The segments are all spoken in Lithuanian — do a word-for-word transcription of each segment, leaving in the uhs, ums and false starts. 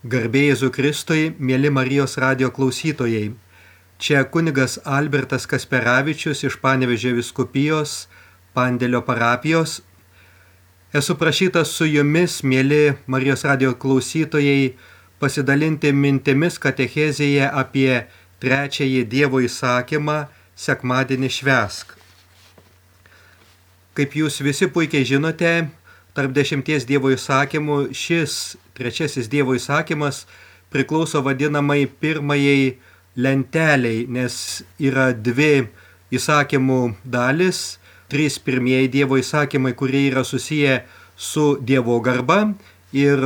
Garbė Jėzui Kristui, mėly Marijos radijo klausytojai. Čia kunigas Albertas Kasperavičius iš Panevėžio vyskupijos, Pandėlio parapijos. Esu prašytas su jumis, mėly Marijos radijo klausytojai, pasidalinti mintimis katechezėje apie trečiąjį Dievo įsakymą sekmadienį švęsk. Kaip jūs visi puikiai žinote, tarp dešimties Dievo įsakymų šis trečiasis Dievo įsakymas priklauso vadinamai pirmajai lenteliai, nes yra dvi įsakymų dalis, trys pirmieji Dievo įsakymai, kurie yra susiję su Dievo garba, ir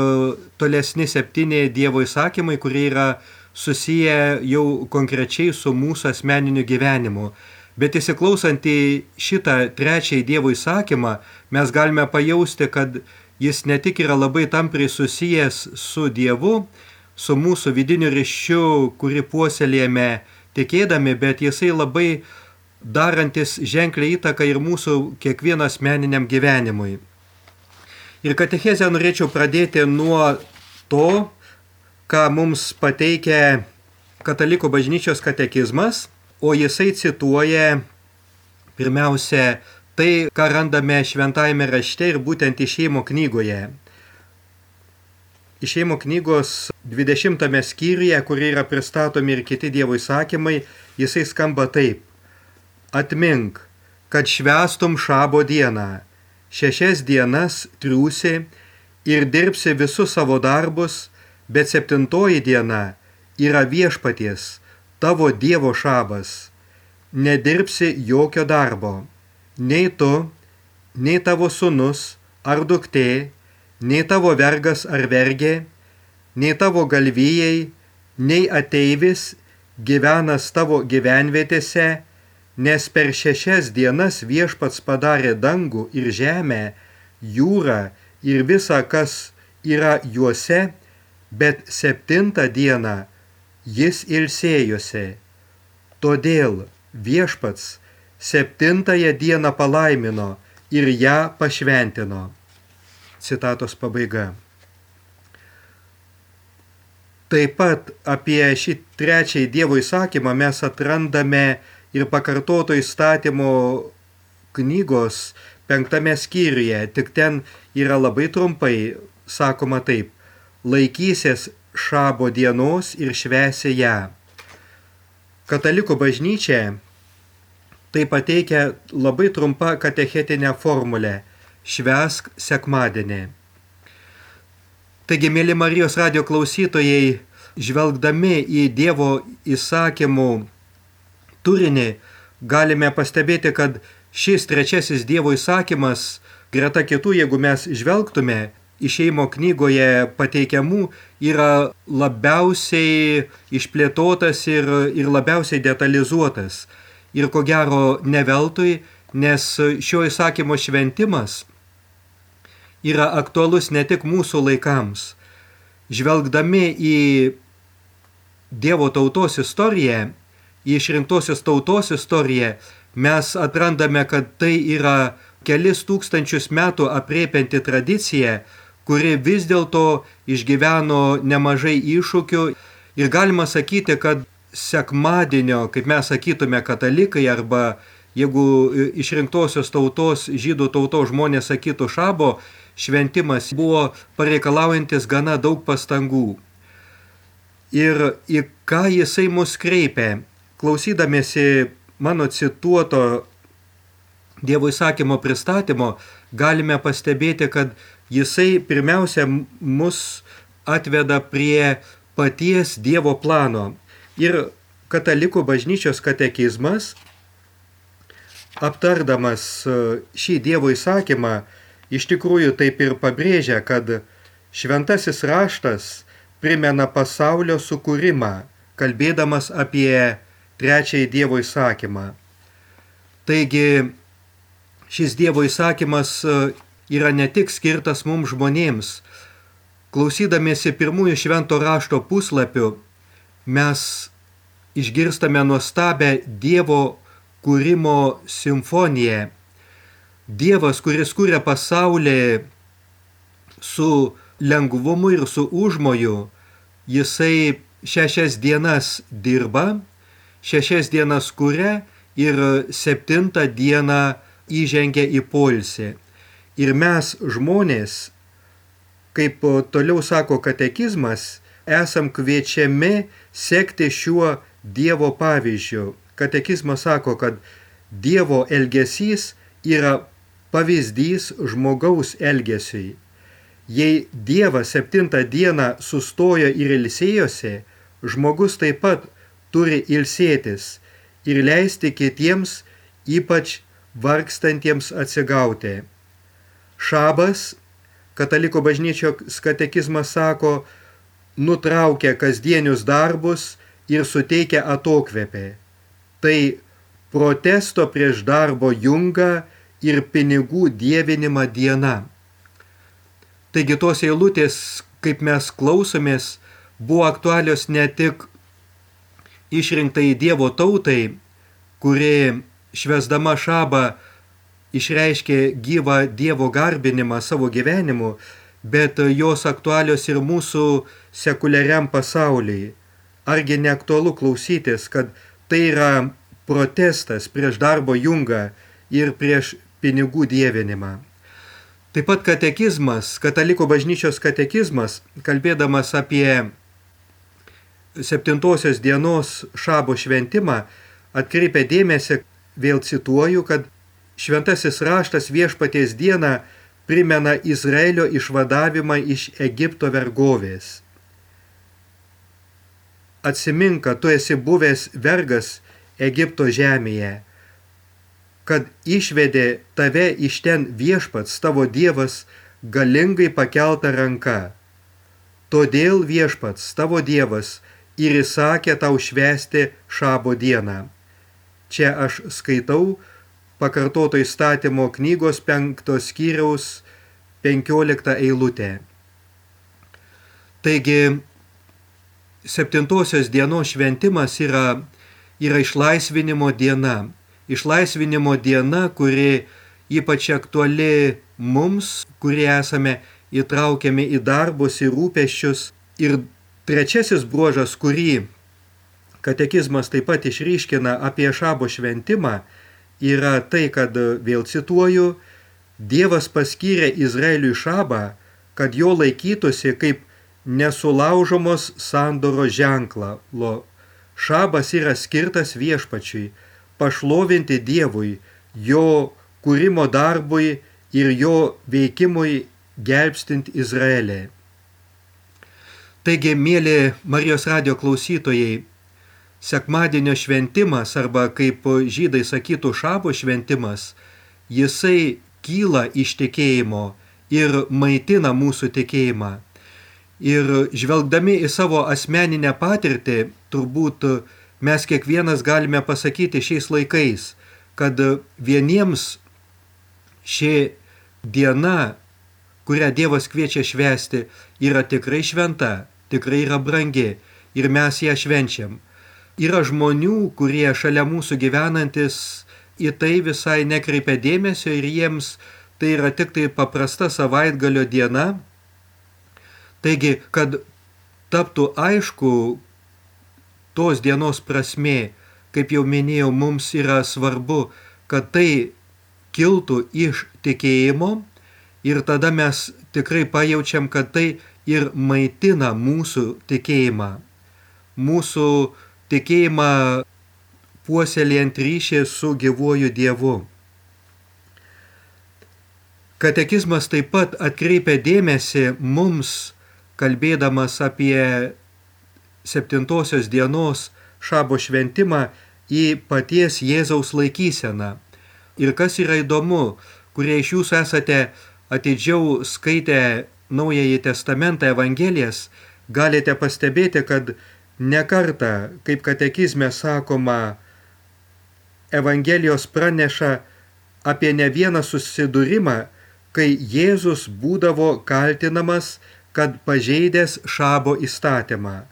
tolesni septyni Dievo įsakymai, kurie yra susiję jau konkrečiai su mūsų asmeniniu gyvenimu. Bet įsiklausant į šitą trečiąjį Dievo įsakymą, mes galime pajausti, kad jis ne tik yra labai tampriai susijęs su Dievu, su mūsų vidiniu ryšiu, kurį puoselėjame tikėdami, bet jisai labai darantis ženklią įtaką ir mūsų kiekvieno asmeniniam gyvenimui. Ir katechezę norėčiau pradėti nuo to, ką mums pateikia Katalikų bažnyčios katekizmas, o jisai cituoja pirmiausia tai, ką randame šventajame rašte ir būtent Išėjimo knygoje. Išėjimo knygos dvidešimtame skyriuje, kur yra pristatomi ir kiti Dievo įsakymai, jisai skamba taip. Atmink, kad švęstum šabo dieną, šešias dienas triūsi ir dirbsi visus savo darbus, bet septintoji diena yra viešpaties, tavo Dievo šabas. Nedirbsi jokio darbo, nei tu, nei tavo sūnus ar duktė, nei tavo vergas ar vergė, nei tavo galvijai, nei ateivis gyvenas tavo gyvenvietėse, nes per šešias dienas viešpats padarė dangų ir žemę, jūrą ir visa, kas yra juose, bet septintą dieną jis ilsėjosi. Todėl viešpats septintąją dieną palaimino ir ją pašventino. Citatos pabaiga. Taip pat apie šį trečiąjį Dievo įsakymą mes atrandame ir pakartoto įstatymo knygos penktame skyriuje, tik ten yra labai trumpai sakoma taip. Laikysies šabo dienos ir švęsi ją. Katalikų bažnyčia tai pateikia labai trumpą katechetinę formulę – švęsk sekmadienį. Taigi, mėly Marijos radijo klausytojai, žvelgdami į Dievo įsakymų turinį, galime pastebėti, kad šis trečiasis Dievo įsakymas, greta kitų, jeigu mes žvelgtume, Išėjimo knygoje pateikiamų, yra labiausiai išplėtotas ir, ir labiausiai detalizuotas. Ir ko gero ne veltui, nes šio įsakymo šventimas yra aktualus ne tik mūsų laikams. Žvelgdami į Dievo tautos istoriją, į išrinktosios tautos istoriją, mes atrandame, kad tai yra kelis tūkstančius metų aprėpianti tradicija, kuri vis dėlto išgyveno nemažai iššūkių, ir galima sakyti, kad sekmadienio, kaip mes sakytume katalikai, arba jeigu išrinktosios tautos, žydų tautos žmonės sakytų šabo, šventimas buvo pareikalaujantis gana daug pastangų. Ir į ką jisai mus kreipia, klausydamiesi mano cituoto Dievo įsakymo pristatymo, galime pastebėti, kad jisai pirmiausia mus atveda prie paties Dievo plano. Ir Katalikų bažnyčios katekizmas, aptardamas šį Dievo įsakymą, iš tikrųjų taip ir pabrėžia, kad šventasis raštas primena pasaulio sukūrimą, kalbėdamas apie trečiąjį Dievo įsakymą. Taigi, šis Dievo įsakymas yra ne tik skirtas mums žmonėms. Klausydamiesi pirmųjų švento rašto puslapių, mes išgirstame nuostabę Dievo kūrimo simfoniją. Dievas, kuris kūrė pasaulį su lengvumu ir su užmoju, jisai šešias dienas dirba, šešias dienas kuria ir septintą dieną įžengia į poilsį. Ir mes žmonės, kaip toliau sako katekizmas, esam kviečiami sekti šiuo Dievo pavyzdžiu. Katekizmas sako, kad Dievo elgesys yra pavyzdys žmogaus elgesiui. Jei Dievas septintą dieną sustojo ir ilsėjosi, žmogus taip pat turi ilsėtis ir leisti kitiems, ypač vargstantiems, atsigauti. Šabas, katalikų bažnyčios katekizmas sako, nutraukia kasdienius darbus ir suteikia atokvėpį. Tai protesto prieš darbo jungą ir pinigų dievinimą diena. Taigi tos eilutės, kaip mes klausomės, buvo aktualios ne tik išrinktai Dievo tautai, kuri švęsdama šabą išreiškė gyvą Dievo garbinimą savo gyvenimu, bet jos aktualios ir mūsų sekuliariam pasauliui. Argi neaktualu klausytis, kad tai yra protestas prieš darbo jungą ir prieš pinigų dievinimą. Taip pat katekizmas, katalikų bažnyčios katekizmas, kalbėdamas apie septintosios dienos šabo šventimą, atkreipia dėmesį, vėl cituoju, kad šventasis raštas viešpaties dieną primena Izraelio išvadavimą iš Egipto vergovės. Atsimink, kad tu esi buvęs vergas Egipto žemėje, kad išvedė tave iš ten viešpats tavo Dievas galingai pakelta ranka. Todėl viešpats tavo Dievas ir įsakė tau švęsti šabo dieną. Čia aš skaitau pakartoto įstatymo knygos penktos skyriaus penkioliktą eilutę. Taigi, septintosios dienos šventimas yra, yra išlaisvinimo diena. Išlaisvinimo diena, kuri ypač aktuali mums, kurie esame įtraukiami į darbus ir rūpesčius. Ir trečiasis bruožas, kurį katekizmas taip pat išryškina apie šabo šventimą, yra tai, kad, vėl cituoju, Dievas paskyrė Izraeliui šabą, kad jo laikytųsi kaip nesulaužomos sandoros ženklą. Šabas yra skirtas viešpačiui, pašlovinti Dievui, jo kūrimo darbui ir jo veikimui gelbstint Izraelį. Taigi, mėly Marijos radijo klausytojai, sekmadienio šventimas, arba kaip žydai sakytų šabo šventimas, jisai kyla iš tikėjimo ir maitina mūsų tikėjimą. Ir žvelgdami į savo asmeninę patirtį, turbūt mes kiekvienas galime pasakyti šiais laikais, kad vieniems ši diena, kurią Dievas kviečia švęsti, yra tikrai šventa, tikrai yra brangi ir mes ją švenčiam. Yra žmonių, kurie šalia mūsų gyvenantis į tai visai nekreipia dėmesio ir jiems tai yra tik tai paprasta savaitgalio diena. Taigi, kad taptų aišku tos dienos prasmė, kaip jau minėjau, mums yra svarbu, kad tai kiltų iš tikėjimo ir tada mes tikrai pajaučiam, kad tai ir maitina mūsų tikėjimą. Mūsų tikėjimą puoselėjant ryšį su gyvuoju Dievu. Katekizmas taip pat atkreipia dėmesį mums, kalbėdamas apie septintosios dienos šabo šventimą, į paties Jėzaus laikyseną. Ir kas yra įdomu, kurie iš jūsų esate atidžiau skaitę Naująjį Testamentą, Evangelijas, galite pastebėti, kad ne kartą, kaip katekizme sakoma, Evangelijos praneša apie ne vieną susidūrimą, kai Jėzus būdavo kaltinamas, kad pažeidęs šabo įstatymą.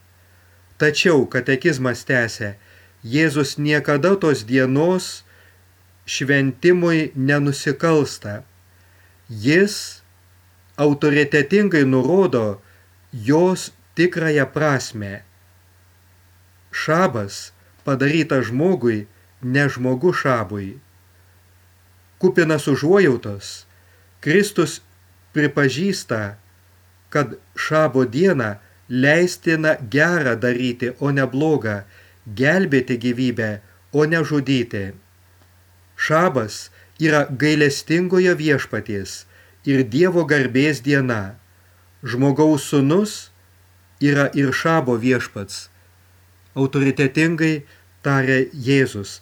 Tačiau katekizmas tęsia, Jėzus niekada tos dienos šventimui nenusikalsta. Jis autoritetingai nurodo jos tikrąją prasme. Šabas padarytas žmogui, ne žmogu šabui. Kupinas užuojautos, Kristus pripažįsta, kad šabo dieną leistina gerą daryti, o ne blogą, gelbėti gyvybę, o ne žudyti. Šabas yra gailestingojo viešpaties ir Dievo garbės diena. Žmogaus sūnus yra ir šabo viešpats, autoritetingai tarė Jėzus.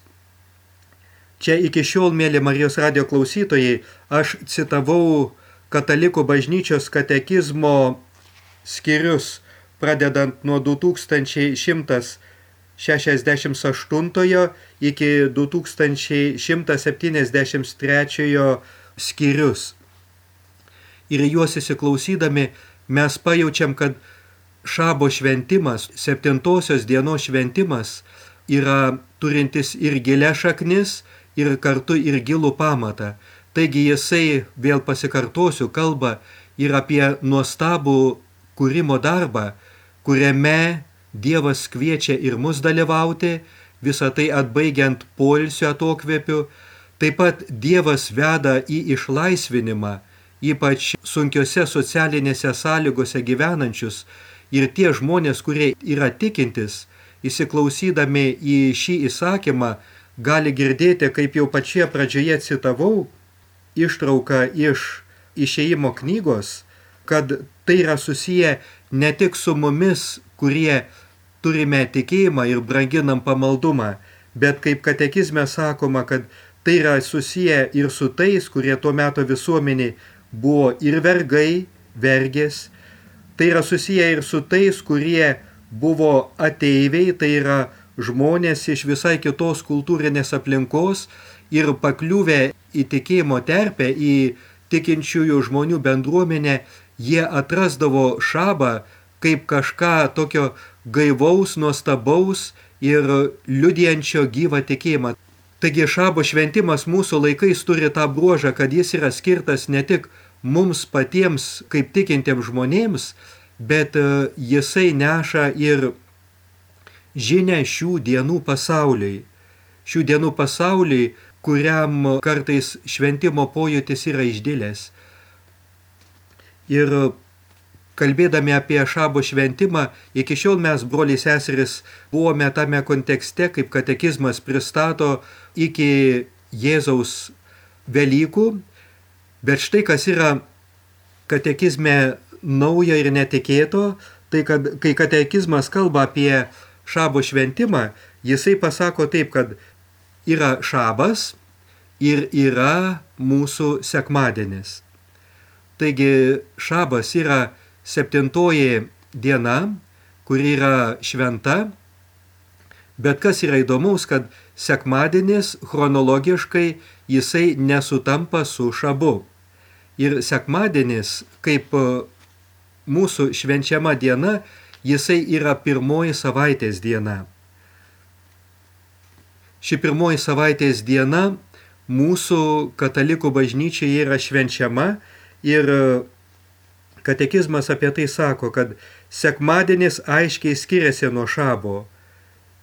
Čia iki šiol, mėly Marijos radijo klausytojai, aš citavau Katalikų bažnyčios katekizmo skyrius, pradedant nuo du tūkstančiai šimtas šešiasdešimt aštuntojo iki du tūkstančiai šimtas septyniasdešimt trečiojo skyrius. Ir juos įsiklausydami mes pajaučiam, kad šabo šventimas, septintosios dienos šventimas yra turintis ir gilias šaknis, ir kartu ir gilų pamatą. Taigi jisai, vėl pasikartosiu, kalba ir apie nuostabų kūrimo darbą, kuriame Dievas kviečia ir mus dalyvauti, visą tai atbaigiant poilsio atokvėpiu. Taip pat Dievas veda į išlaisvinimą, ypač sunkiose socialinėse sąlygose gyvenančius, ir tie žmonės, kurie yra tikintis, įsiklausydami į šį įsakymą, gali girdėti, kaip jau pačioje pradžioje citavau, ištrauką iš Išėjimo knygos, kad tai yra susiję ne tik su mumis, kurie turime tikėjimą ir branginam pamaldumą, bet kaip katekizme sakoma, kad tai yra susiję ir su tais, kurie tuo meto visuomeniai buvo ir vergai, vergės. Tai yra susiję ir su tais, kurie buvo ateiviai, tai yra žmonės iš visai kitos kultūrinės aplinkos ir pakliuvę į tikėjimo terpę, į tikinčiųjų žmonių bendruomenę, jie atrasdavo šabą kaip kažką tokio gaivaus, nuostabaus ir liudijančio gyvą tikėjimą. Taigi šabo šventimas mūsų laikais turi tą bruožą, kad jis yra skirtas ne tik mums patiems kaip tikintiems žmonėms, bet jisai neša ir žinią šių dienų pasauliui. Šių dienų pasauliui, kuriam kartais šventimo pojūtis yra išdilęs. Ir kalbėdami apie šabo šventimą, iki šiol mes, broliai seseris, buvome tame kontekste, kaip katekizmas pristato iki Jėzaus Velykų, bet štai kas yra katekizme naujo ir netikėto, tai kad kai katekizmas kalba apie šabo šventimą, jisai pasako taip, kad yra šabas ir yra mūsų sekmadienis. Taigi šabas yra septintoji diena, kuri yra šventa, bet kas yra įdomaus, kad sekmadienis chronologiškai jisai nesutampa su šabu. Ir sekmadienis, kaip mūsų švenčiama diena, jisai yra pirmoji savaitės diena. Ši pirmoji savaitės diena mūsų katalikų bažnyčiai yra švenčiama ir katekizmas apie tai sako, kad sekmadienis aiškiai skiriasi nuo šabo.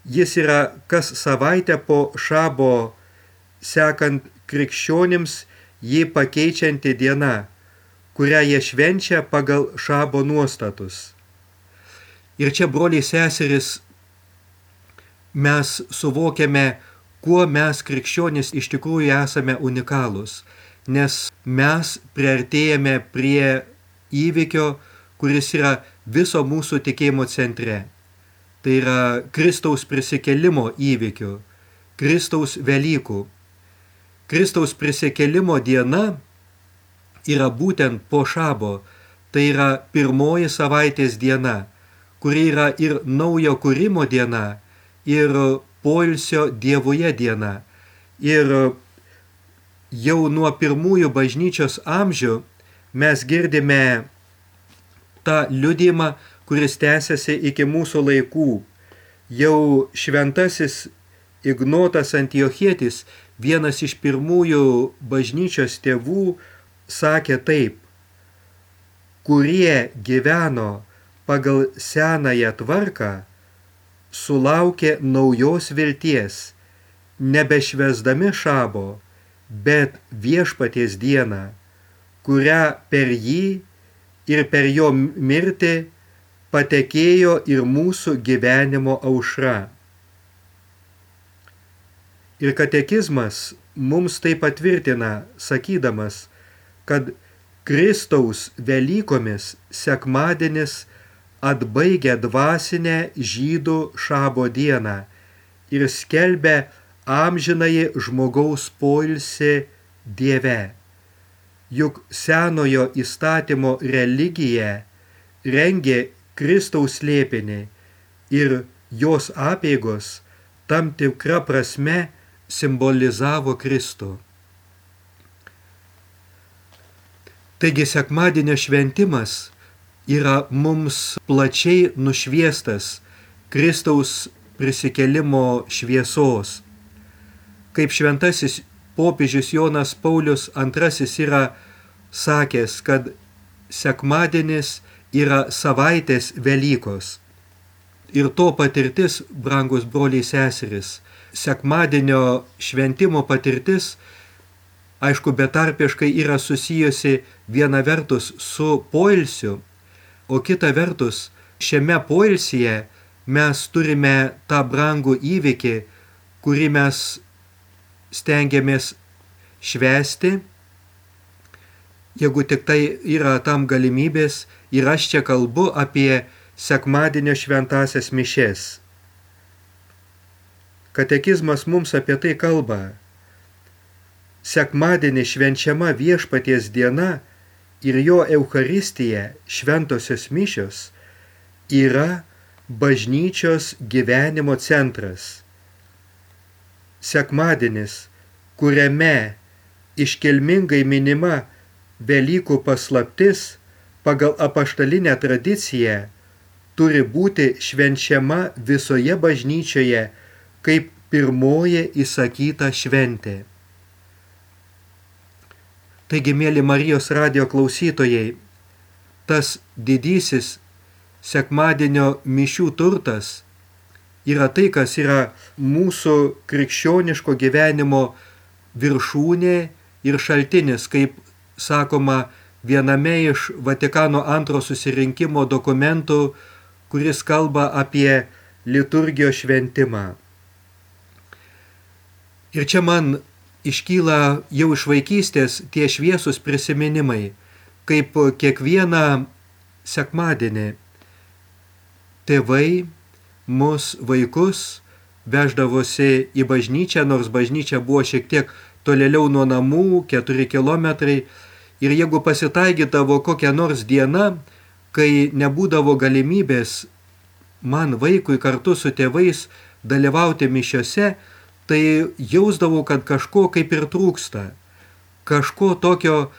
Jis yra kas savaitę po šabo sekant krikščionims jį pakeičianti diena, kurią jie švenčia pagal šabo nuostatus. Ir čia, broliai seseris, mes suvokiame, kuo mes krikščionys iš tikrųjų esame unikalūs, nes mes priartėjame prie įvykio, kuris yra viso mūsų tikėjimo centre. Tai yra Kristaus prisikėlimo įvykių, Kristaus Velykų. Kristaus prisikėlimo diena yra būtent po šabo, tai yra pirmoji savaitės diena, kuri yra ir naujo kūrimo diena, ir poilsio Dievuje diena. Ir jau nuo pirmųjų bažnyčios amžių mes girdime tą liudijimą, kuris tęsiasi iki mūsų laikų. Jau šventasis Ignotas Antiochietis, vienas iš pirmųjų bažnyčios tėvų, sakė taip: kurie gyveno pagal senąją tvarką sulaukė naujos vilties, nebešvęsdami šabo, bet viešpaties dieną, kurią per jį ir per jo mirtį patekėjo ir mūsų gyvenimo aušra. Ir katekizmas mums tai patvirtina, sakydamas, kad Kristaus Velykomis sekmadienis atbaigia dvasinę žydų šabo dieną ir skelbia amžinąjį žmogaus poilsį Dieve. Juk senojo įstatymo religija rengė Kristaus slėpinį ir jos apeigos tam tikra prasme simbolizavo Kristų. Taigi sekmadienio šventimas yra mums plačiai nušviestas Kristaus prisikėlimo šviesos. Kaip šventasis popiežius Jonas Paulius antrasis yra sakęs, kad sekmadienis yra savaitės Velykos. Ir to patirtis, brangus broliai seserys, sekmadienio šventimo patirtis, aišku, betarpiškai yra susijusi viena vertus su poilsiu, o kita vertus šiame poilsyje mes turime tą brangų įvykį, kurį mes stengiamės švęsti, jeigu tik tai yra tam galimybės, ir aš čia kalbu apie sekmadienio šventąsias mišes. Katekizmas mums apie tai kalba. Sekmadienį švenčiama viešpaties diena ir jo Eucharistija, šventosios mišios, yra bažnyčios gyvenimo centras. Sekmadienis, kuriame iškilmingai minima Velykų paslaptis, pagal apaštalinę tradiciją, turi būti švenčiama visoje bažnyčioje kaip pirmoji įsakyta šventė. Taigi, mėly Marijos radijo klausytojai, tas didysis sekmadienio mišių turtas yra tai, kas yra mūsų krikščioniško gyvenimo viršūnė ir šaltinis, kaip sakoma viename iš Vatikano antro susirinkimo dokumentų, kuris kalba apie liturgijos šventimą. Ir čia man iškyla jau iš vaikystės tie šviesūs prisiminimai, kaip kiekvieną sekmadienį tėvai mus vaikus veždavosi į bažnyčią, nors bažnyčia buvo šiek tiek tolėliau nuo namų, keturi kilometrai, ir jeigu pasitaikydavo kokia nors diena, kai nebūdavo galimybės man vaikui kartu su tėvais dalyvauti mišiose, tai jausdavau, kad kažko kaip ir trūksta. Kažko tokio,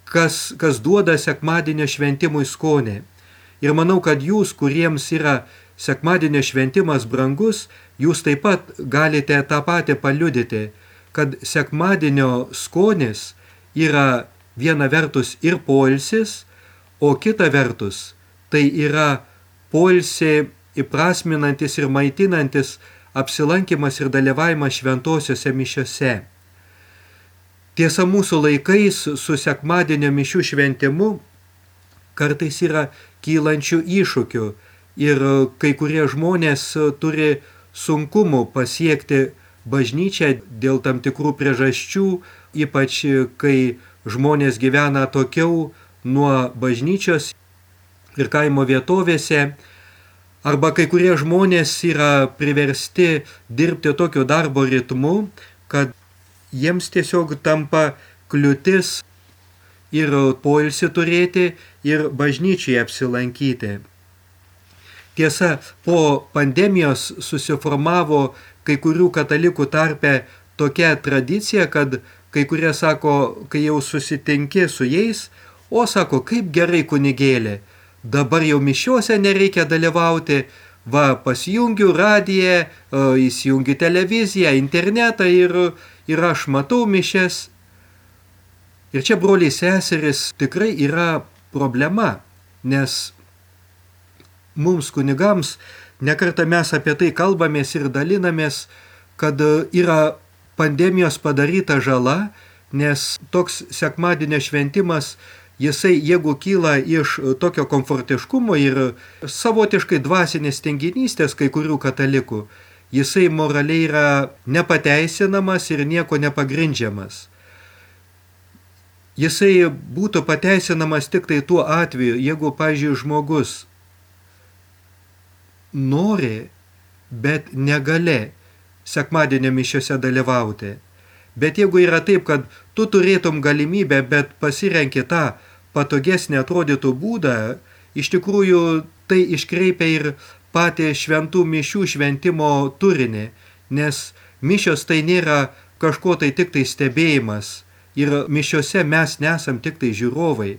kas, kas duoda sekmadienio šventimui skonį. Ir manau, kad jūs, kuriems yra sekmadienio šventimas brangus, jūs taip pat galite tą patį paliudyti, kad sekmadienio skonis yra viena vertus ir poilsis, o kita vertus tai yra poilsį įprasminantis ir maitinantis apsilankimas ir dalyvavimas šventosiuose mišiose. Tiesa, mūsų laikais su sekmadienio mišių šventimu kartais yra kylančių iššūkių ir kai kurie žmonės turi sunkumų pasiekti bažnyčią dėl tam tikrų priežasčių, ypač kai žmonės gyvena atokiau nuo bažnyčios ir kaimo vietovėse, arba kai kurie žmonės yra priversti dirbti tokiu darbo ritmu, kad jiems tiesiog tampa kliūtis ir poilsį turėti, ir bažnyčiai apsilankyti. Tiesa, po pandemijos susiformavo kai kurių katalikų tarpe tokia tradicija, kad kai kurie sako, kai jau susitinki su jais, o sako, kaip gerai kunigėlė, dabar jau mišiuose nereikia dalyvauti, va, pasijungiu radiją, įsijungiu televiziją, internetą ir, ir aš matau mišias. Ir čia, broliai seseris, tikrai yra problema, nes mums kunigams, nekartą mes apie tai kalbamės ir dalinamės, kad yra pandemijos padaryta žala, nes toks sekmadienio šventimas, jisai, jeigu kyla iš tokio komfortiškumo ir savotiškai dvasinės tinginystės kai kurių katalikų, jisai moraliai yra nepateisinamas ir nieko nepagrindžiamas. Jisai būtų pateisinamas tik tai tuo atveju, jeigu, pavyzdžiui, žmogus nori, bet negali sekmadienio mišiose dalyvauti. Bet jeigu yra taip, kad tu turėtum galimybę, bet pasirenki tą patogesnį atrodytų būdą, iš tikrųjų tai iškreipia ir patį šventų mišių šventimo turinį, nes mišios tai nėra kažko tai tik tai stebėjimas ir mišiose mes nesam tik tai žiūrovai.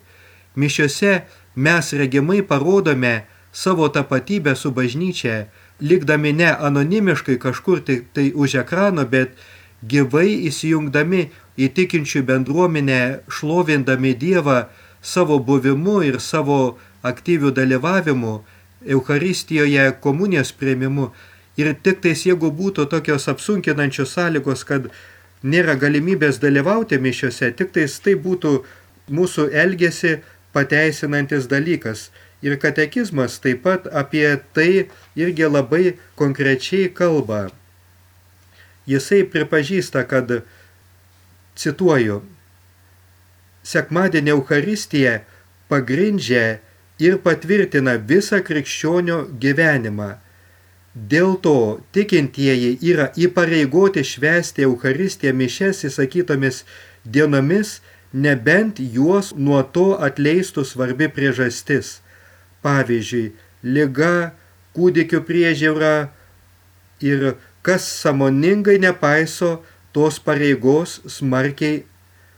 Mišiose mes regimai parodome savo tapatybę su bažnyčia, likdami ne anonimiškai kažkur tik tai už ekrano, bet gyvai įsijungdami į tikinčių bendruomenę, šlovindami Dievą savo buvimu ir savo aktyvių dalyvavimu, Eucharistijoje, komunijos priėmimu. Ir tik tais jeigu būtų tokios apsunkinančios sąlygos, kad nėra galimybės dalyvauti mišiose, tik tais tai būtų mūsų elgesį pateisinantis dalykas. Ir katekizmas taip pat apie tai irgi labai konkrečiai kalba. Jisai pripažįsta, kad, cituoju, sekmadienio Eucharistija pagrindžia ir patvirtina visą krikščionio gyvenimą. Dėl to tikintieji yra įpareigoti švęsti Eucharistiją mišias įsakytomis dienomis, nebent juos nuo to atleistų svarbi priežastis. Pavyzdžiui, liga, kūdikių priežiūra ir kas sąmoningai nepaiso tos pareigos smarkiai,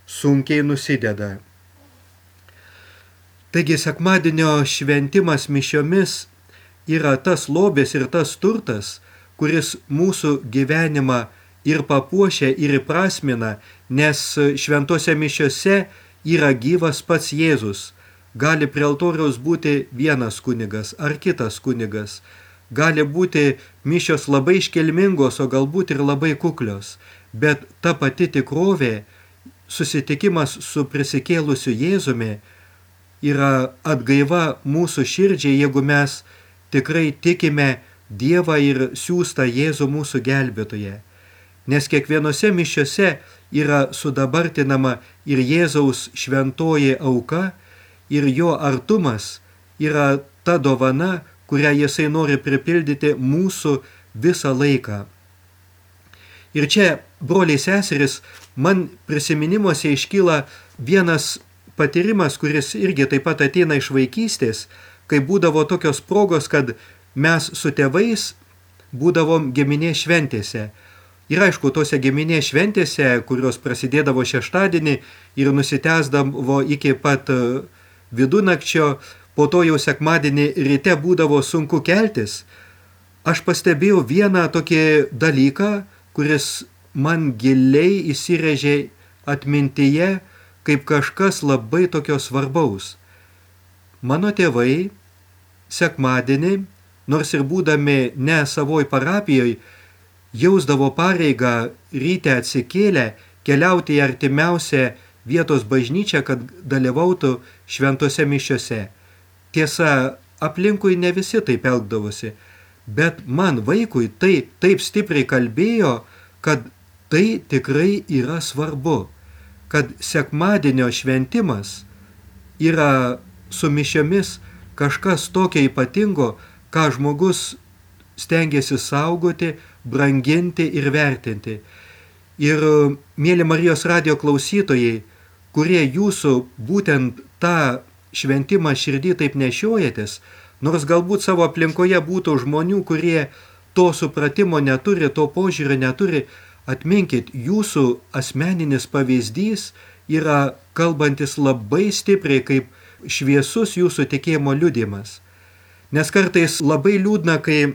sunkiai nusideda. Taigi sekmadienio šventimas mišiomis yra tas lobis ir tas turtas, kuris mūsų gyvenimą ir papuošia, ir įprasmina, nes šventose mišiose yra gyvas pats Jėzus. Gali prie altoriaus būti vienas kunigas ar kitas kunigas. Gali būti mišios labai iškilmingos, o galbūt ir labai kuklios. Bet ta pati tikrovė, susitikimas su prisikėlusiu Jėzumi, yra atgaiva mūsų širdžiai, jeigu mes tikrai tikime Dievą ir siųstą Jėzų mūsų gelbėtoje. Nes kiekvienose mišiose yra sudabartinama ir Jėzaus šventoji auka, ir jo artumas yra ta dovana, kurią Jisai nori pripildyti mūsų visą laiką. Ir čia, broliai seseris, man prisiminimuose iškyla vienas patyrimas, kuris irgi taip pat ateina iš vaikystės, kai būdavo tokios progos, kad mes su tėvais būdavom giminės šventėse. Ir aišku, tose giminės šventėse, kurios prasidėdavo šeštadienį ir nusitęsdavo iki pat vidunakčio, po to jau sekmadienį ryte būdavo sunku keltis, aš pastebėjau vieną tokį dalyką, kuris man giliai įsirėžė atmintyje kaip kažkas labai tokio svarbaus. Mano tėvai sekmadienį, nors ir būdami ne savoj parapijoj, jausdavo pareigą ryte atsikėlę keliauti į artimiausią vietos bažnyčią, kad dalyvautų šventose mišiose. Tiesa, aplinkui ne visi taip elgdavosi, bet man vaikui tai taip stipriai kalbėjo, kad tai tikrai yra svarbu, kad sekmadienio šventimas yra su mišiomis kažkas tokio ypatingo, ką žmogus stengiasi saugoti, branginti ir vertinti. Ir, mėly Marijos radijo klausytojai, kurie jūsų būtent tą šventimą širdį taip nešiojatės, nors galbūt savo aplinkoje būtų žmonių, kurie to supratimo neturi, to požiūrio neturi, atminkit, jūsų asmeninis pavyzdys yra kalbantis labai stipriai kaip šviesus jūsų tikėjimo liudijimas. Nes kartais labai liūdna, kai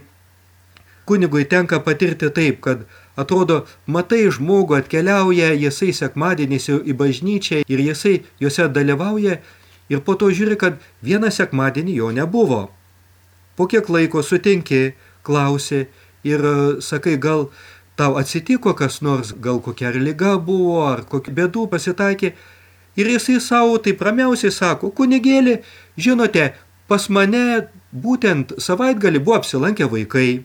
kunigui tenka patirti taip, kad atrodo, matai žmogų atkeliauja, jisai sekmadieniais į bažnyčią ir jisai juose dalyvauja ir po to žiūri, kad vieną sekmadienį jo nebuvo. po kiek laiko sutinki, klausi ir sakai, gal tau atsitiko kas nors, gal kokia ar liga buvo, ar kokių bėdų pasitaikė. Ir jisai savo taip ramiausiai sako, kunigėli, žinote, pas mane būtent savaitgalį buvo apsilankę vaikai.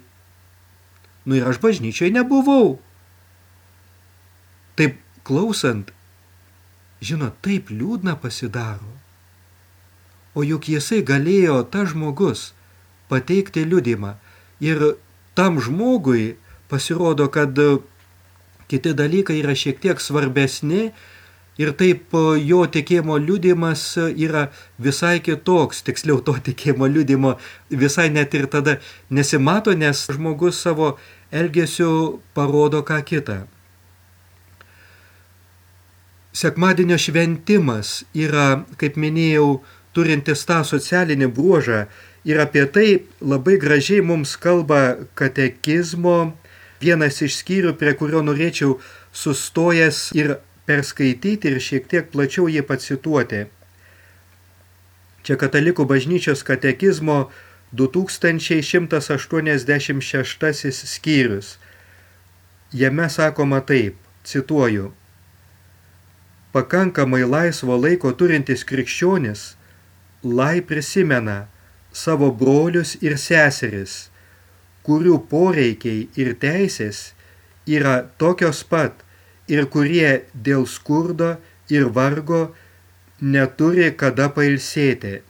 Nu ir aš bažnyčiai nebuvau. Taip klausant, žinot, taip liūdna pasidaro. O juk jisai galėjo, tas žmogus, pateikti liudymą. Ir tam žmogui pasirodo, kad kiti dalykai yra šiek tiek svarbesni ir taip jo tikėjimo liudymas yra visai kitoks. Tiksliau, to tikėjimo liudymo visai net ir tada nesimato, nes žmogus savo elgesiu parodo ką kitą. Sekmadienio šventimas yra, kaip minėjau, turintis tą socialinį bruožą ir apie tai labai gražiai mums kalba katekizmo vienas iš skyrių, prie kurio norėčiau sustojęs ir perskaityti ir šiek tiek plačiau jį pacituoti. Čia Katalikų bažnyčios katekizmo du tūkstančiai šimtas aštuoniasdešimt šeštasis skyrius. Jame sakoma taip, cituoju: pakankamai laisvo laiko turintis krikščionis lai prisimena savo brolius ir seseris, kurių poreikiai ir teisės yra tokios pat ir kurie dėl skurdo ir vargo neturi kada pailsėti.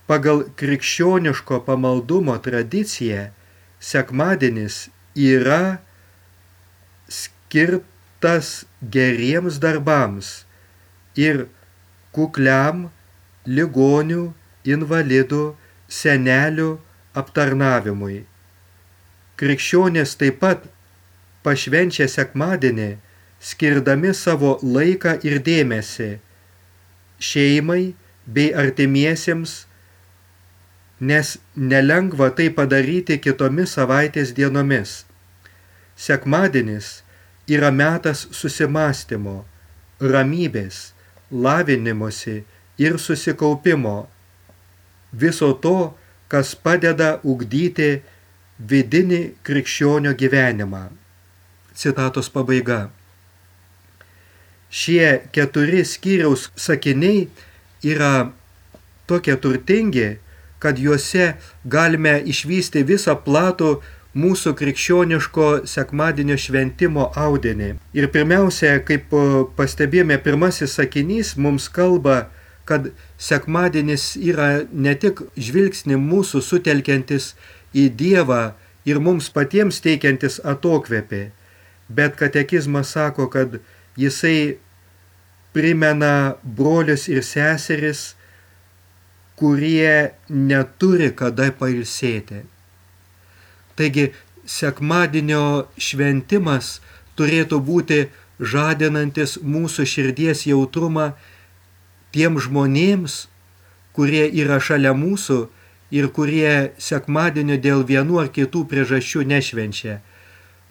Pagal krikščioniško pamaldumo tradiciją sekmadienis yra skirtas geriems darbams ir kukliam ligonių, invalidų, senelių aptarnavimui. Krikščionys taip pat pašvenčia sekmadienį, skirdami savo laiką ir dėmesį šeimai bei artimiesiems, nes nelengva tai padaryti kitomis savaitės dienomis. Sekmadienis yra metas susimąstymo, ramybės, lavinimosi ir susikaupimo, viso to, kas padeda ugdyti vidinį krikščionio gyvenimą. Citatos pabaiga. Šie keturi skyriaus sakiniai yra tokie turtingi, kad juose galime išvysti visą platų mūsų krikščioniško sekmadienio šventimo audinį. Ir pirmiausia, kaip pastebėjome, pirmasis sakinys mums kalba, kad sekmadienis yra ne tik žvilgsnį mūsų sutelkiantis į Dievą ir mums patiems teikiantis atokvėpį, bet katekizmas sako, kad jisai primena brolius ir seseris, kurie neturi kada pailsėti. Taigi, sekmadienio šventimas turėtų būti žadinantis mūsų širdies jautrumą tiem žmonėms, kurie yra šalia mūsų ir kurie sekmadienio dėl vienų ar kitų priežasčių nešvenčia.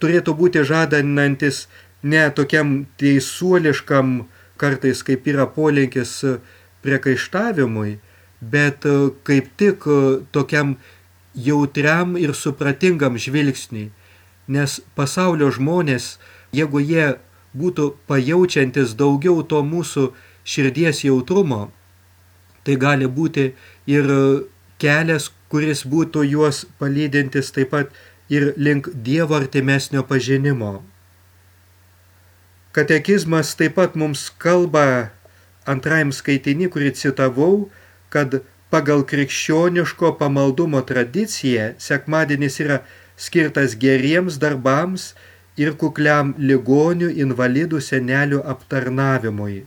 Turėtų būti žadanantis ne tokiam teisuoliškam, kartais kaip yra polinkis priekaištavimui, bet kaip tik tokiam jautriam ir supratingam žvilgsniui. Nes pasaulio žmonės, jeigu jie būtų pajaučiantis daugiau to mūsų širdies jautrumo, tai gali būti ir kelias, kuris būtų juos palydintis taip pat ir link Dievo artimesnio pažinimo. Katekizmas taip pat mums kalba antrajam skaitiny, kurį citavau, kad pagal krikščioniško pamaldumo tradiciją sekmadienis yra skirtas geriems darbams ir kukliam ligonių, invalidų, senelių aptarnavimui.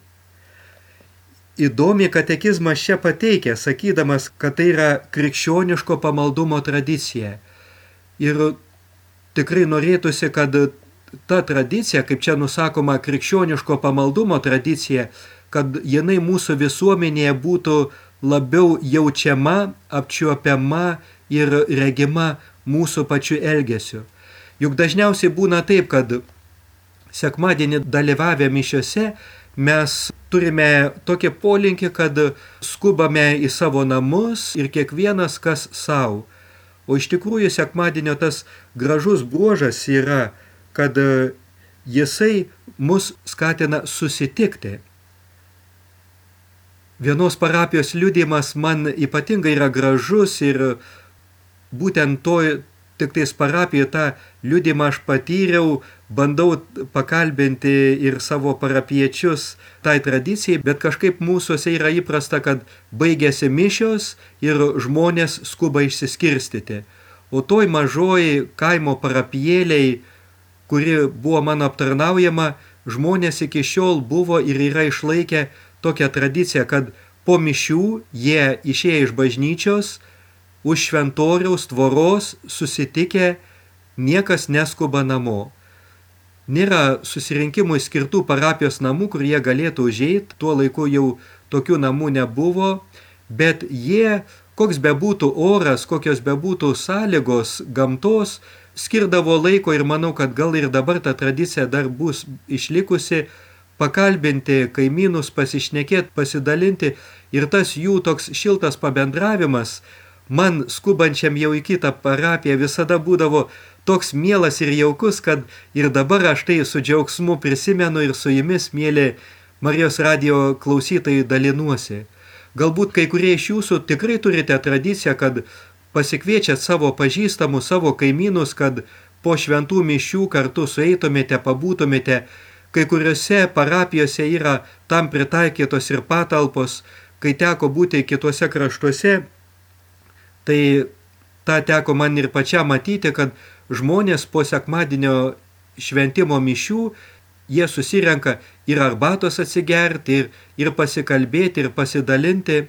Įdomiai katekizmas čia pateikia, sakydamas, kad tai yra krikščioniško pamaldumo tradicija. Ir tikrai norėtųsi, kad ta tradicija, kaip čia nusakoma, krikščioniško pamaldumo tradicija, kad jinai mūsų visuomenėje būtų labiau jaučiama, apčiuopiama ir regima mūsų pačių elgesiu. Juk dažniausiai būna taip, kad sekmadienį dalyvavę mišiose mes turime tokį polinkį, kad skubame į savo namus ir kiekvienas kas savo. O iš tikrųjų sekmadienio tas gražus bruožas yra, kad jisai mus skatina susitikti. Vienos parapijos liudijimas man ypatingai yra gražus ir būtent to tik tais parapijoje tą liudijimą aš patyriau, bandau pakalbinti ir savo parapiečius tai tradicijai, bet kažkaip mūsuose yra įprasta, kad baigėsi mišios ir žmonės skuba išsiskirstyti. O toj mažoj kaimo parapijėliai, kuri buvo mano aptarnaujama, žmonės iki šiol buvo ir yra išlaikę tokią tradiciją, kad po mišių jie išėję iš bažnyčios, už šventoriaus tvoros susitikę, niekas neskuba namo. Nėra susirinkimui skirtų parapijos namų, kur jie galėtų užeiti, tuo laiku jau tokių namų nebuvo, bet jie, koks bebūtų oras, kokios bebūtų sąlygos, gamtos, skirdavo laiko ir manau, kad gal ir dabar ta tradicija dar bus išlikusi, pakalbinti kaimynus, pasišnekėti, pasidalinti ir tas jų toks šiltas pabendravimas man skubančiam jau į kitą parapiją visada būdavo toks mielas ir jaukus, kad ir dabar aš tai su džiaugsmu prisimenu ir su jumis, mėly Marijos radijo klausytojai, dalinuosi. Galbūt kai kurie iš jūsų tikrai turite tradiciją, kad pasikviečiat savo pažįstamus, savo kaimynus, kad po šventų mišių kartu sueitumėte, pabūtumėte. Kai kuriuose parapijose yra tam pritaikytos ir patalpos, kai teko būti kituose kraštuose, tai tą teko man ir pačiam matyti, kad žmonės po sekmadienio šventimo mišių, jie susirenka ir arbatos atsigerti, ir, ir pasikalbėti, ir pasidalinti.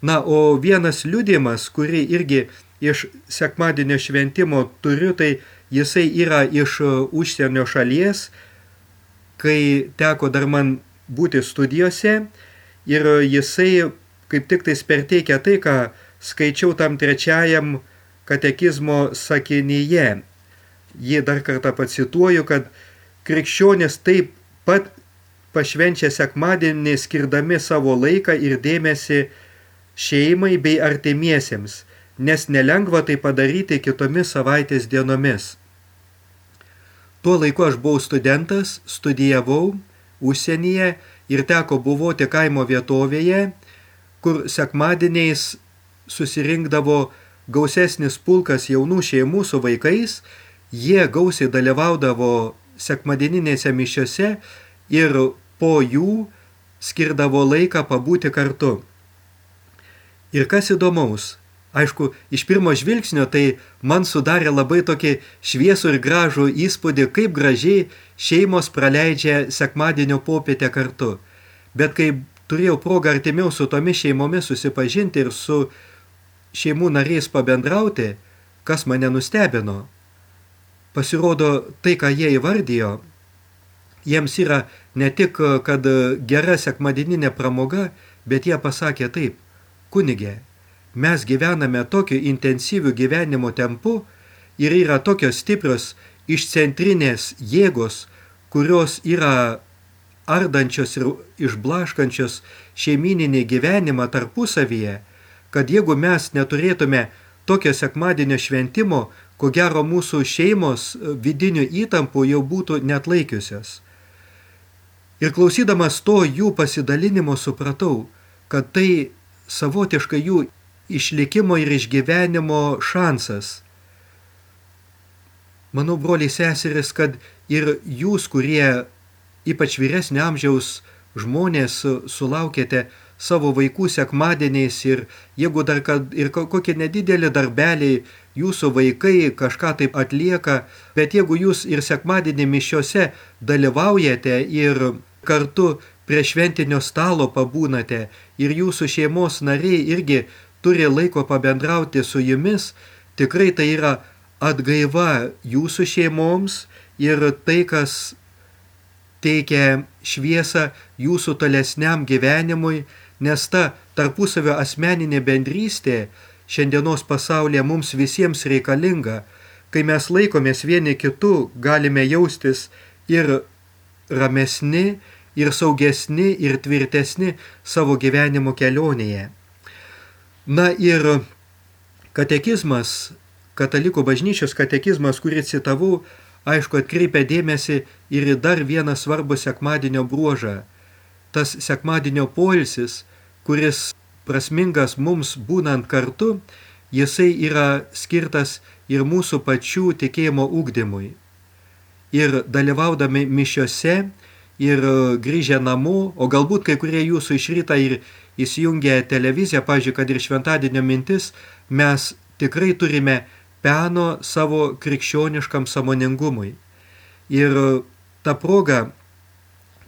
Na, o vienas liudijimas, kurį irgi iš sekmadienio šventimo turiu, tai jisai yra iš užsienio šalies, kai teko dar man būti studijose ir jisai kaip tik tai perteikia tai, ką skaičiau tam trečiajam katekizmo sakinyje. Jį dar kartą pacituoju, kad krikščionys taip pat pašvenčia sekmadienį skirdami savo laiką ir dėmesį šeimai bei artimiesiems, nes nelengva tai padaryti kitomis savaitės dienomis. Tuo laiku aš buvau studentas, studijavau užsienyje ir teko buvoti kaimo vietovėje, kur sekmadieniais susirinkdavo gausesnis pulkas jaunų šeimų su vaikais, jie gausiai dalyvaudavo sekmadieninėse mišiose ir po jų skirdavo laiką pabūti kartu. Ir kas įdomaus, aišku, iš pirmo žvilgsnio tai man sudarė labai tokį šviesų ir gražų įspūdį, kaip gražiai šeimos praleidžia sekmadienio popietę kartu. Bet kai turėjau progą artimiau su tomis šeimomis susipažinti ir su šeimų nariais pabendrauti, kas mane nustebino. Pasirodo, tai, ką jie įvardijo, jiems yra ne tik, kad gera sekmadieninė pramoga, bet jie pasakė taip: kunige, mes gyvename tokiu intensyviu gyvenimo tempu ir yra tokios stiprios išcentrinės jėgos, kurios yra ardančios ir išblaškančios šeimyninį gyvenimą tarpusavyje, kad jeigu mes neturėtume tokio sekmadienio šventimo, ko gero mūsų šeimos vidinių įtampų jau būtų neatlaikiusios. Ir klausydamas to jų pasidalinimo supratau, kad tai savotiškai jų išlikimo ir išgyvenimo šansas. Manau, broliai seseris, kad ir jūs, kurie ypač vyresnio amžiaus žmonės sulaukėte savo vaikų sekmadieniais ir jeigu dar kad ir kokie nedideli darbeliai jūsų vaikai kažką taip atlieka, bet jeigu jūs ir sekmadienį mišiose dalyvaujate ir kartu prie šventinio stalo pabūnate ir jūsų šeimos nariai irgi turi laiko pabendrauti su jumis, tikrai tai yra atgaiva jūsų šeimoms ir tai, kas teikia šviesą jūsų tolesniam gyvenimui, nes ta tarpusavio asmeninė bendrystė šiandienos pasaulyje mums visiems reikalinga. Kai mes laikomės vieni kitų, galime jaustis ir ramesni, ir saugesni, ir tvirtesni savo gyvenimo kelionėje. Na ir katekizmas Katalikų bažnyčios katekizmas, kurį citavau, aišku, atkreipia dėmesį ir į dar vieną svarbų sekmadienio bruožą. Tas sekmadienio poilsis, kuris prasmingas mums būnant kartu, jisai yra skirtas ir mūsų pačių tikėjimo ugdymui. Ir dalyvaudami mišiose, ir grįžę namo, o galbūt kai kurie jūsų iš rytą ir įsijungę televiziją, pavyzdžiui, kad ir šventadienio mintis, mes tikrai turime peno savo krikščioniškam sąmoningumui. Ir tą progą,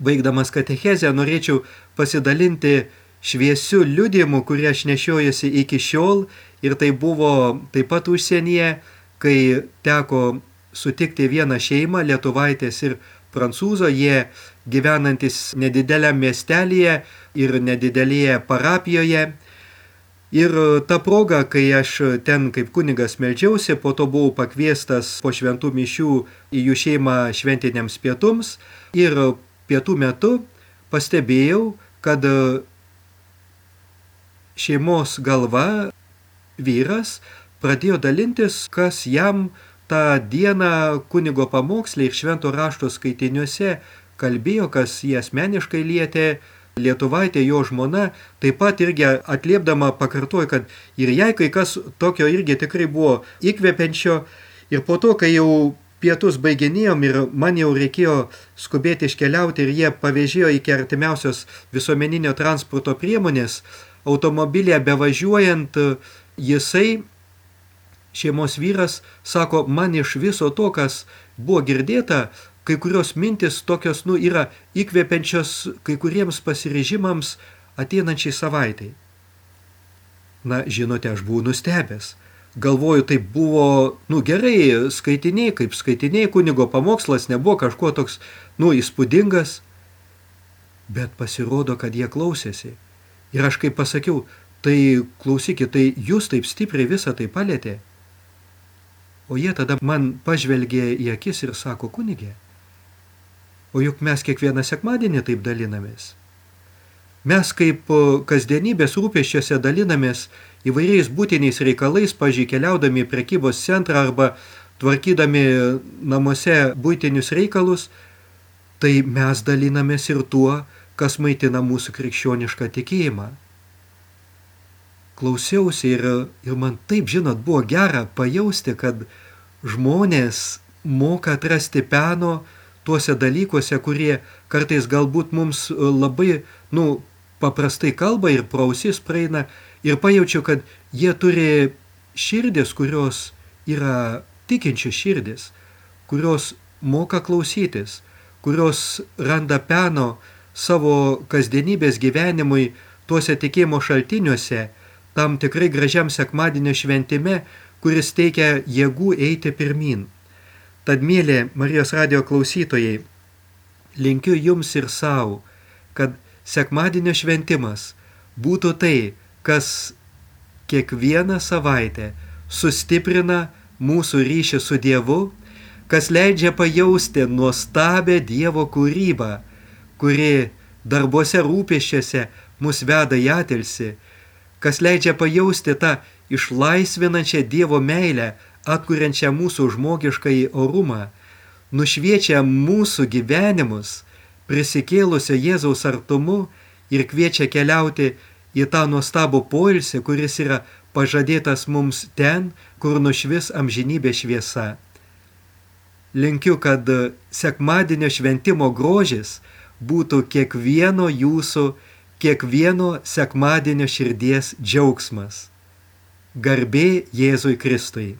baigdamas katechezę, norėčiau pasidalinti šviesiu liudijimu, kurį aš nešiojuosi iki šiol, ir tai buvo taip pat užsienyje, kai teko sutikti vieną šeimą, lietuvaitės ir prancūzo, jie gyvenantis nedideliam miestelyje ir nedidelėje parapijoje. Ir ta proga, kai aš ten kaip kunigas meldžiausi, po to buvau pakviestas po šventų mišių į jų šeimą šventiniams pietums, ir pietų metu pastebėjau, kad šeimos galva, vyras, pradėjo dalintis, kas jam tą dieną kunigo pamoksle ir švento rašto skaitiniuose kalbėjo, kas jį asmeniškai lietė. Lietuvaitė, jo žmona, taip pat irgi atliepdama pakartojo, kad ir jai kai kas tokio irgi tikrai buvo įkvepiančio. Ir po to, kai jau pietus baiginėjom ir man jau reikėjo skubėti iškeliauti ir jie pavėžėjo iki artimiausios visuomeninio transporto priemonės, automobilėje bevažiuojant, jisai, šeimos vyras, sako, man iš viso to, kas buvo girdėta, kai kurios mintis tokios, nu, yra įkvepiančios kai kuriems pasiryžimams ateinančiai savaitai. Na, žinote, aš buvau nustebęs. Galvoju, tai buvo, nu, gerai, skaitiniai, kaip skaitiniai, kunigo pamokslas nebuvo kažkuo toks, nu, įspūdingas, bet pasirodo, kad jie klausėsi. Ir aš kaip pasakiau, tai klausykit, tai jūs taip stipriai visą tai palėtė. O jie tada man pažvelgė į akis ir sako, kunigė, o juk mes kiekvieną sekmadienį taip dalinamės. Mes kaip kasdienybės rūpesčiuose dalinamės įvairiais būtiniais reikalais, pavyzdžiui, keliaudami į prekybos centrą arba tvarkydami namuose būtinius reikalus, tai mes dalinamės ir tuo, kas maitina mūsų krikščionišką tikėjimą. Klausiausi ir, ir man taip, žinot, buvo gera pajausti, kad žmonės moka atrasti peno tuose dalykuose, kurie kartais galbūt mums labai, nu, paprastai kalba ir pro ausis praeina, ir pajaučiu, kad jie turi širdis, kurios yra tikinčių širdis, kurios moka klausytis, kurios randa peno savo kasdienybės gyvenimui tuose tikėjimo šaltiniuose, tam tikrai gražiam sekmadienio šventime, kuris teikia jėgų eiti pirmin. Tad, mėly Marijos radijo klausytojai, linkiu jums ir savo, kad sekmadienio šventimas būtų tai, kas kiekvieną savaitę sustiprina mūsų ryšį su Dievu, kas leidžia pajausti nuostabią Dievo kūrybą, kuri darbuose rūpesčiuose mus veda į atilsį, kas leidžia pajausti tą išlaisvinančią Dievo meilę, atkuriančią mūsų žmogiškąjį orumą, nušviečia mūsų gyvenimus prisikėlusio Jėzaus artumu ir kviečia keliauti į tą nuostabų poilsį, kuris yra pažadėtas mums ten, kur nušvis amžinybė šviesa. Linkiu, kad sekmadienio šventimo grožis būtų kiekvieno jūsų, kiekvieno sekmadienio širdies džiaugsmas. Garbė Jėzui Kristui.